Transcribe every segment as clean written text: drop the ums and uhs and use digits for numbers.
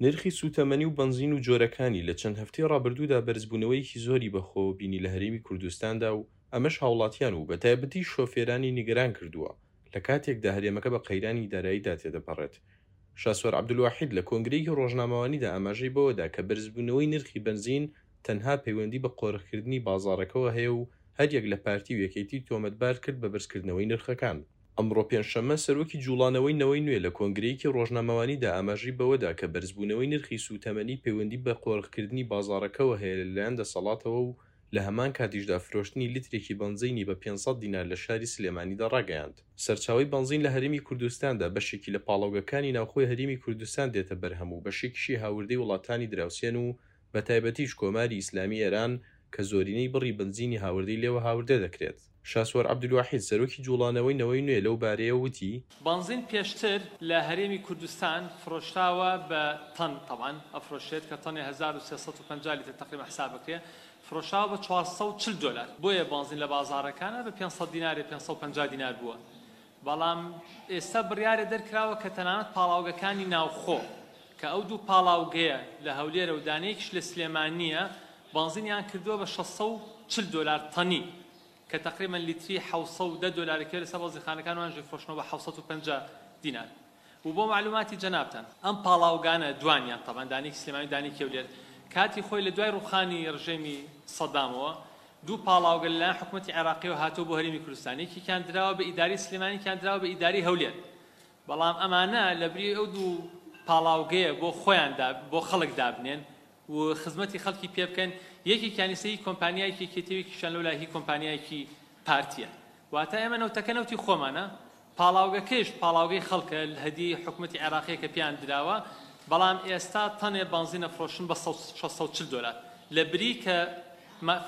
نرخی سووتەمەنی و بەنزین و جۆرەکانی لە چەند هەفتەی ڕابردوودا بەرزبوونەوەیەکی زۆری بەخۆوە بینی لە هەرێمی کوردستاندا و ئەمەش هاوڵاتیان و بەتایبەتیش شۆفێرانی نیگەران کردووە لە کاتێکدا هەرێمەکە بە قەیرانی داراییدا تێدەپەڕێت. شاسوار عەبدولواحید لە کۆنگرەیەکی ڕۆژنامەوانیدا ئاماژەی بەوەدا کە بەرزبوونەوەی نرخی بەنزین تەنها پەیوەندی بە قۆرخکردنی بازاڕەکەوە هەیە و هەریەک لە پارتی و یەکێتی تۆمەتبار کرد بە بەرزکردنەوەی نرخەکان. ئەمڕۆ پێنجشەممە سەرۆکی جوڵانەوەی نەوەی نوێ لە کۆنگرەیەکی ڕۆژنامەوانیدا ئاماژەی بەوەدا کە بەرزبوونەوەی نرخی سووتەمەنی پەیوەندی بە قۆرخکردنی بازاڕەکەوە هەیە لەلایەن دەسەڵاتەوە و لە هەمان کاتیشدا فرۆشتنی لیترێکی بەنزینی بە 500 دینار لە شاری سلێمانیدا ڕاگەیاند. سەرچاوەی بەنزین لە هەرێمی کوردستاندا بەشێکی لە پاڵاوگەکانی ناوخۆی هەرێمی کوردستان دێتە بەرهەم و بەشێکیشی هاوردەی وڵاتانی دراوسێن و بەتایبەتیش کۆماری ئیسلامی ئێران کە زۆرینەی بڕی بەنزینی هاوردەی لێوە هاوردە دەکرێت. شاسوار عەبدولواحید، سەرۆکی جوڵانەوەی نەوەی نوێ لەو بارەیەوە وتی، بەنزین پێشتر لە هەرێمی کوردستان فرۆشراوە بە تەن، تەبعەن ئەفرۆشرێت کە تەنێ 1350 لیتر تەقریبەن حساب بکرێ، فرۆشراوە بە 440 دۆلار، بۆیە بەنزین لە بازاڕەکانا بە 500 دینارێ 550 دینار بووە، بەڵام ئێستا بڕیارێ دەرکراوە کە تەنانەت پاڵاوگەکانی ناوخۆ کە ئەو دوو پاڵاوگەیە لە هەولێرە و دانەیەکیش لە سلێمانییە بەنزینیان کردووە بە 640 دۆلار تەنی کە تەقریبەن لیتری 710 دۆلارە کە لەسەر بەنزینخانەکان وانژی فرۆشتنەوە بە 750 دینار و بۆ مەعلوماتی جەنابتان ئەم پاڵاوگانە دوانیان تەبعەن دانەیەکی سلێمانی و دانەیەکی هەولێر کاتی خۆی لە دوای ڕووخانی ڕژێمی سەدامەوە دوو پاڵاوگە لەلایەن حکومەتی عێراقیەوە هاتووە بۆ هەرێمی کوردستان، یەکێکیان دراوە بە ئیدارەی سلێمانی یەکیان دراوە بە ئیدارەی هەولێر، بەڵام ئەمانە لەبری ئەو دوو پاڵاوگەیە بۆ خۆیان بۆ خەڵک دابنێن و خزمەتی خەڵکی پێ بکەن، یەکێکیان ئیستا هی کۆمپانیایەکی یەکێتیە و یەکێکیان لەولا هی کۆمپانیایەکی پارتیە. واتە ئێمە نەوتەکە نەوتی خۆمانە، پاڵاوگەکەیش پاڵاوگەی خەڵکە، هەدیەی حکومەتی عێراقیە کە پێیان دراوە، بەڵام ئێستا تەنێ بەنزین ئەفرۆشن بە 640 دۆلار لە بری کە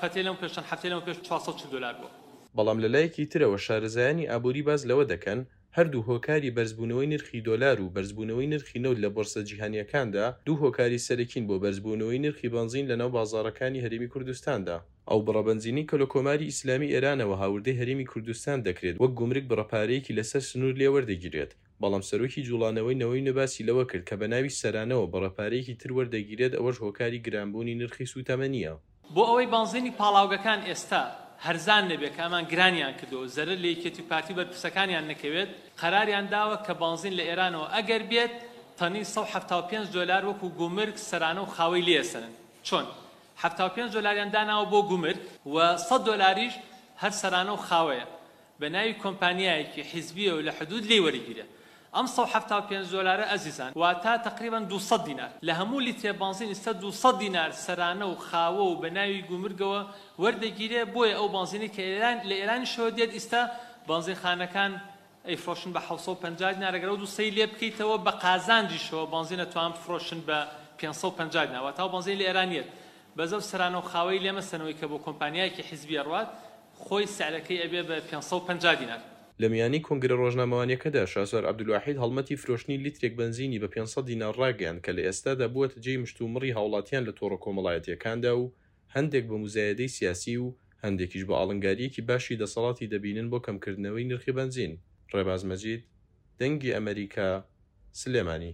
فەتەی لەم پێش چەند هەفتەی لەمە پێش 440 دۆلار بووە. بەڵام لەلایەکی ترەوە شارەزایانی ئابووری باس لەوە دەکەن، هەردوو هۆکاری بەرزبوونەوەی نرخی دۆلار و بەرزبوونەوەی نرخی نەوت لە بۆرسە جیهانییەکاندا دوو هۆکاری سەرەکین بۆ بەرزبوونەوەی نرخی بەنزین لەناو بازاڕەکانی هەرێمی کوردستاندا. ئەو بڕە بەنزینەی کە لە کۆماری ئیسلامی ئێرانەوە هاوردەی هەرێمی کوردستان دەکرێت وەک گومرگ بڕە پارەیەکی لەسەر سنوور لێ وەردەگیرێت، بەڵام سەرۆکی جوڵانەوەی نەوەی نوێ باسی لەوە کرد کە بەناوی سەرانەوە بڕە پارەیەکی تر وەردەگیرێت ئەوەش هۆکاری گرانبوونی نرخی سووتەمەنییە. بۆ ئەوەی بەنزینی پاڵاوگەکان ئێستا هەرزان نەبێت کە ئەمان گرانیان کردووە و زەرەر لە یەکێتی و پارتی و بەرپرسەکانیان نەکەوێت قەراریان داوە کە بەنزین لە ئێرانەوە ئەگەر بێت تەنی 175 دۆلار وەکو گومرگ سەرانە و خاوەی لێ ئەسەنن چۆن 75 دۆلاریان داناوە بۆ گومرگ و 100 دۆلاریش هەر سەرانە و خاوەیە بە ناوی کۆمپانیایەکی حیزبیەوە لە حدود لێی وەرگیرێ ئەم 175 دۆلارە ئەزیزان واتا تەقریبەن 200 دینار لە هەموو لیترێ بەنزین ئیستا 200 دینار سەرانە و خاوە و بە ناوی گومرگەوە وەردەگیرێ بۆیە ئەو بەنزینەی کە ئێران لە ئێرانیشەوە دێت ئیستا بەنزینخانەکان ئەیفرۆشن بە 750 دینار ئەگەر ئەو دوو سەی لێ بکەیتەوە بە قازانجیشەوە بەنزین ئەتوان بفرۆشن بە 550 دینار واتا ئەو بەنزینەی لە ئێران یەت بەس ئەو سەرانە و خاوەی لێ مەسەنەوەی کە بۆ کۆمپانیایەکی حیزبی ئەڕوات خۆی سعرەکەی ئەبێ بە 550 دینار. لە میانی کۆنگرە ڕۆژنامەوانیەکەدا شاسوار عەبدولواحید هەڵمەتی فرۆشتنی لیترێک بەنزینی بە 500 دینار ڕاگەیاند کە لە ئێستادا بووەتە جێی مشتومڕی هاوڵاتیان لە تۆڕە کۆمەڵایەتیەکاندا و هەندێک بە موزایەدەی سیاسی و هەندێکیش بە ئاڵنگارییەکی باشی دەسەڵاتی دەبینن بۆ کەمکردنەوەی نرخی بەنزین. ڕێباز مەجید، دەنگی ئەمەریکا، سلێمانی.